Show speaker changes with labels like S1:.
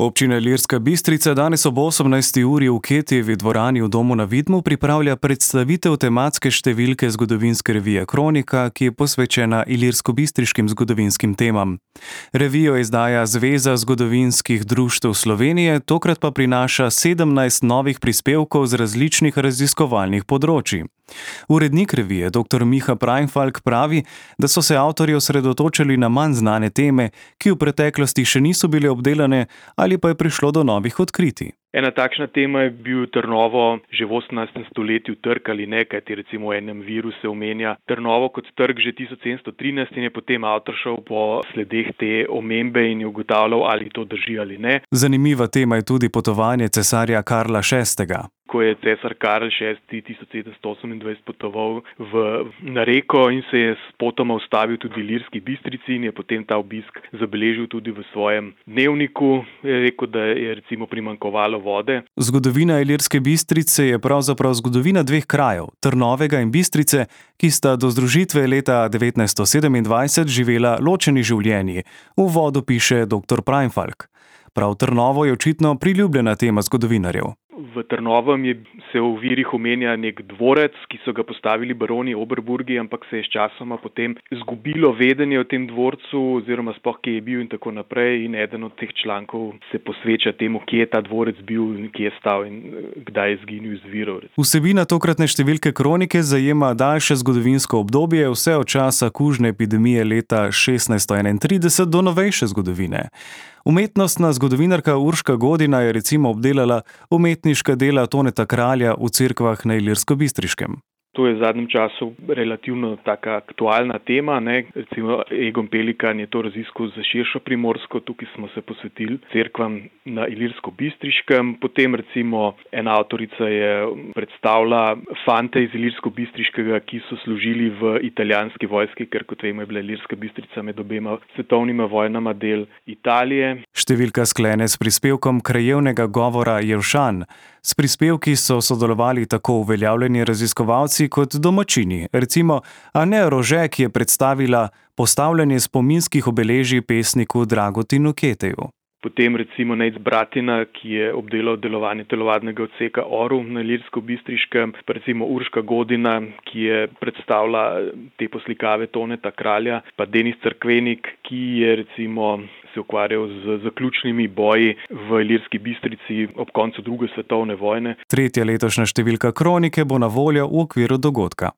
S1: Občina Ilirska Bistrica danes ob 18. uri v Ketijevi dvorani v Domu na Vidmu pripravlja predstavitev tematske številke zgodovinske revije Kronika, ki je posvečena ilirsko-bistriškim zgodovinskim temam. Revijo izdaja Zveza zgodovinskih društev Slovenije, tokrat pa prinaša 17 novih prispevkov z različnih raziskovalnih področij. Urednik revije, dr. Miha Preinfalk, pravi, da so se avtorji osredotočili na manj znane teme, ki v preteklosti še niso bile obdelane ali pa je prišlo do novih odkritij.
S2: Ena takšna tema je bil Trnovo že v 18. stoletju trg ali ne, kajti recimo v enem viru se omenja Trnovo kot trg že 1713 in je potem avtor šel po sledeh te omembe in je ugotavljal, ali to drži ali ne.
S1: Zanimiva tema je tudi potovanje cesarja Karla VI.
S2: Ko je cesar Karl VI 1728 potoval na Reko in se je spotoma ustavil tudi v Ilirski Bistrici in je potem ta obisk zabeležil tudi v svojem dnevniku. Je rekel, da je recimo primanjkovalo vode.
S1: Zgodovina Ilirske Bistrice je pravzaprav zgodovina dveh krajev, Trnovega in Bistrice, ki sta do združitve leta 1927 živela ločeni življenji. V uvodu piše dr. Preinfalk. Prav Trnovo je očitno priljubljena tema zgodovinarjev.
S2: V Trnovem se v virih omenja nek dvorec, ki so ga postavili baroni Oberburgi, ampak se je sčasoma potem izgubilo vedenje o tem dvorcu oziroma sploh kje je bil in tako naprej, in eden od teh člankov se posveča temu, kje je ta dvorec bil in kje je stal in kdaj je izginil iz virov.
S1: Vsebina tokratne številke Kronike zajema daljše zgodovinsko obdobje, vse od časa kužne epidemije leta 1631 do novejše zgodovine. Umetnostna zgodovinarka Urška Godina je recimo obdelala umetniška dela Toneta Kralja v cerkvah na Ilirsko-Bistriškem.
S2: To je v zadnjem času relativno taka aktualna tema, ne. Recimo Egon Pelikan je to raziskal za širšo Primorsko, tukaj smo se posvetili cerkvam na Ilirsko-Bistriškem. Potem recimo ena avtorica je predstavila fante iz Ilirsko-Bistriškega, ki so služili v italijanski vojski, ker kot vemo je bila Ilirska Bistrica med obema svetovnima vojnama del Italije.
S1: Številka sklene s prispevkom krajevnega govora Jelšan. S prispevki so sodelovali tako uveljavljeni raziskovalci kot domačini, recimo Ane Rože, ki je predstavila postavljanje spominskih obeležij pesniku Dragotinu Keteju.
S2: Potem recimo Nejc Bratina, ki je obdelal delovanje telovadnega odseka Orel na Ilirsko-Bistriškem, pa recimo Urška Godina, ki je predstavila te poslikave Toneta Kralja, pa Denis Cerkvenik, ki je recimo se ukvarjal z zaključnimi boji v Ilirski Bistrici ob koncu druge svetovne vojne.
S1: Tretja letošnja številka Kronike bo na voljo v okviru dogodka.